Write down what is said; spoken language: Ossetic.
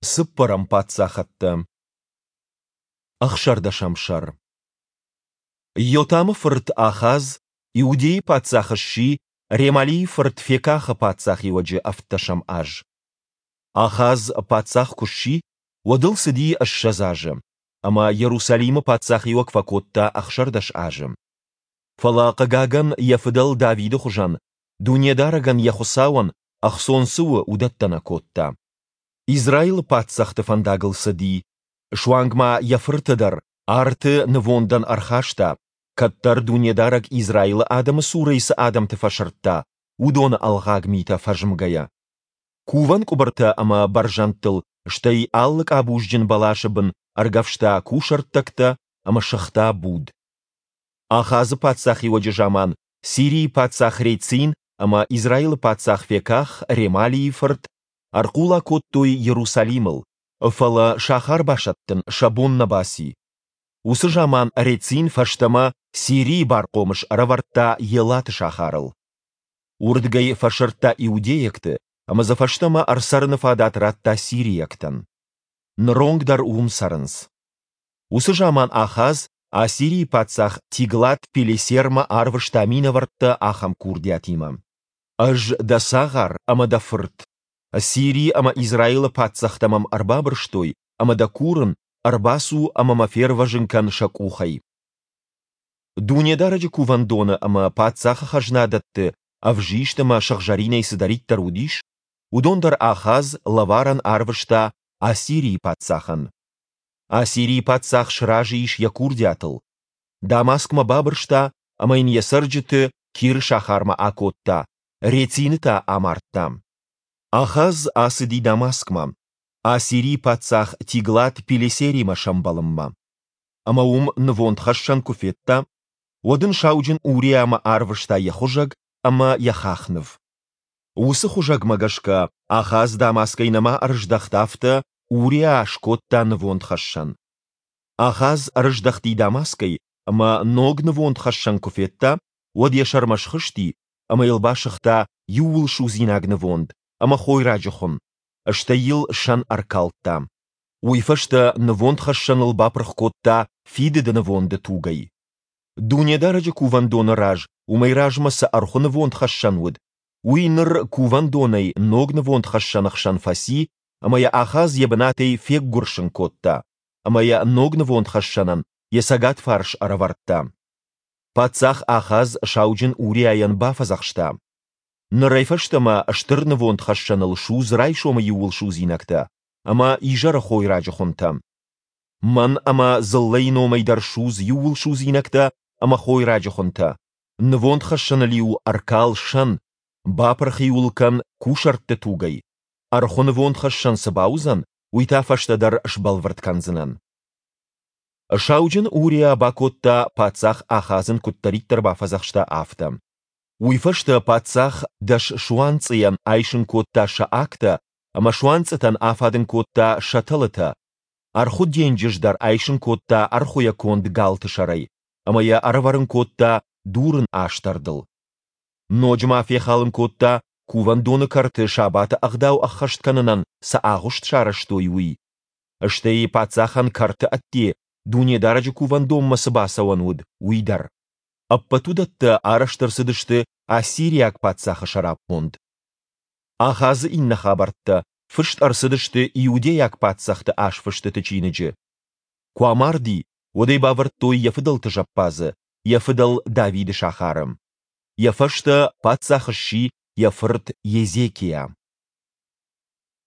Цыппӕрӕм паддзахӕдтӕ. Ӕхсӕрдӕсӕм сӕр. Йотамы фырт Ахаз Иудейы паддзах сси Ремалийы фырт Фекахы паддзахиуӕджы ӕвддӕсӕм аз. Ахаз паддзах куы сси, уӕд ыл цыди 20 азы, ӕмӕ Иерусалимы паддзахиуӕг фӕкодта 16 азы. Фӕлӕ, хъыгагӕн, йӕ фыдӕл Давиды хуызӕн Дунедарӕгӕн йӕ Хуыцауӕн ӕхцон цы у, уыдӕттӕ нӕ кодта. Израилы паддзӕхты фӕндагыл цыди, суанг ма йӕ фырты дӕр арты нывондӕн ӕрхаста, кӕддӕр Дунедарӕг Израилы адӕмы цурӕй цы адӕмты фӕсырдта, уыдоны ӕлгъаг митӕ фӕзмгӕйӕ. Кувӕн къуыбыртӕ ӕмӕ бӕрзӕндтыл, стӕй алы къабузджын бӕласы бын ӕргӕвста кусӕрттӕгтӕ ӕмӕ сыгъта буд. Ахазы паддзахиуӕджы заман Сирийы паддзах Рецин ӕмӕ Израилы паддзах Феках, Ремалийы фырт, ӕрхъула кодтой Иерусалимыл, фӕлӕ сахар басӕттын сӕ бон нӕ баци. Уыцы заман Рецин фӕстӕмӕ Сирийы бархъомыс ӕрӕвӕрдта Елаты сахарыл. Уырдыгӕй фӕсырдта иудейӕгты ӕмӕ дзы фӕстӕмӕ ӕрцӕрыны фадат радта сирийӕгтӕн. Ныронг дӕр уым цӕрынц. Уыцы заман Ахаз Ассирийы паддзах Тиглат-Пилесермӕ арвыста минӕвӕрттӕ ахӕм курдиатимӕ: Ӕз дӕ цагъар ӕмӕ дӕ фырт. Сири ӕмӕ Израилы паддзӕхтӕ мӕм ӕрбабырстой, ӕмӕ дӕ курын, ӕрбацу ӕмӕ мӕ фервӕзын кӕн сӕ къухӕй. Дунедарӕджы кувӕндоны ӕмӕ паддзахы хӕзнадӕтты ӕвзист ӕмӕ сыгъзӕринӕй цыдӕриддӕр уыдис, уыдон дӕр Ахаз лӕварӕн арвыста Ассирийы паддзахӕн. Ассирийы паддзах сразы ис йӕ курдиатыл. Дамаскмӕ бабырста ӕмӕ йын йӕ цӕрджыты Киры сахармӕ акодта, Рецины та амардта. Ахаз ацыди Дамаскмӕ, Ассирийы паддзах Тиглат-Пилесеримӕ сӕмбӕлынмӕ. Ӕмӕ уым нывондхӕссӕн куы федта, уӕд ын сауджын Уриамӕ арвыста йӕ хуызӕг ӕмӕ йӕ хахныв. Уыцы хуызӕгмӕ гӕсгӕ Ахаз Дамаскӕй нӕма ӕрыздӕхт, афтӕ Уриа скодта нывондхӕссӕн. Ахаз ӕрыздӕхти Дамаскӕй ӕмӕ ног нывондхӕссӕн куы федта, уӕд йӕ сӕрмӕ схызти ӕмӕ йыл басыгъта иууылсудзинаг нывонд ӕмӕ хойраджы хуын, стӕй йыл сӕн ӕркалдта. Уый фӕстӕ нывондхӕссӕныл бапырх кодта фидыды нывонды тугӕй. Дунедарӕджы кувӕндоны раз уымӕй размӕ цы ӕрхуы нывондхӕссӕн уыд, уый ныр кувӕндонӕй ног нывондхӕссӕны хсӕн фӕци ӕмӕ йӕ Ахаз йӕ бынатӕй феггуырсын кодта ӕмӕ йӕ ног нывондхӕссӕнӕн йӕ цӕгат фарс ӕрӕвӕрдта. Паддзах Ахаз сауджын Уриайӕн бафӕдзӕхста: Нырӕй фӕстӕмӕ стыр нывондхӕссӕныл судз райсомы иууылсудзинӕгтӕ ӕмӕ изӕры хойраджы хуынтӕ. Мӕн ӕмӕ дзыллӕйы номӕй дӕр судз иууылсудзинӕгтӕ ӕмӕ хойраджы хуынтӕ, нывондхӕссӕныл-иу ӕркал сӕн, бапырх-иу ыл кӕн кусӕртты тугӕй, ӕрхуы нывондхӕссӕн цы бауыдзӕн, уый та фӕстӕдӕр сбӕлвырд кӕндзынӕн. Сауджын Уриа бакодта, паддзах Ахаз ын куыддӕриддӕр бафӕдзӕхста, афтӕ. Уый фӕстӕ паддзах дӕс суанцъыйӕн айсын кодта сӕ агтӕ ӕмӕ суанцъытӕн афадын кодта сӕ тӕлытӕ, ӕрхуы денджыз дӕр айсын кодта ӕрхуыйӕ конд галты сӕрӕй ӕмӕ йӕ ӕрӕвӕрын кодта дурын астӕрдыл. Ноджы ма фехалын кодта, кувӕндоны кӕрты сабаты ӕгъдау ӕххӕст кӕнынӕн цы агъуыст сарӕзтой, уый. Стӕй паддзахӕн кӕрты ӕдде Дунедарӕджы кувӕндонмӕ цы бацӕуӕн уыд, уый дӕр. Ӕппӕт уыдӕттӕ арӕзт ӕрцыдысты ассириаг паддзахы сӕраппонд. Ахазы иннӕ хабӕрттӕ фыст ӕрцыдысты иудейаг паддзӕхты азфыстыты чиныджы. Куы амарди, уӕд ӕй бавӕрдтой йӕ фыдӕлты зӕппадзы, йӕ фыдӕл Давиды сахары. Йӕ фӕстӕ паддзах сси йӕ фырт Езекиа.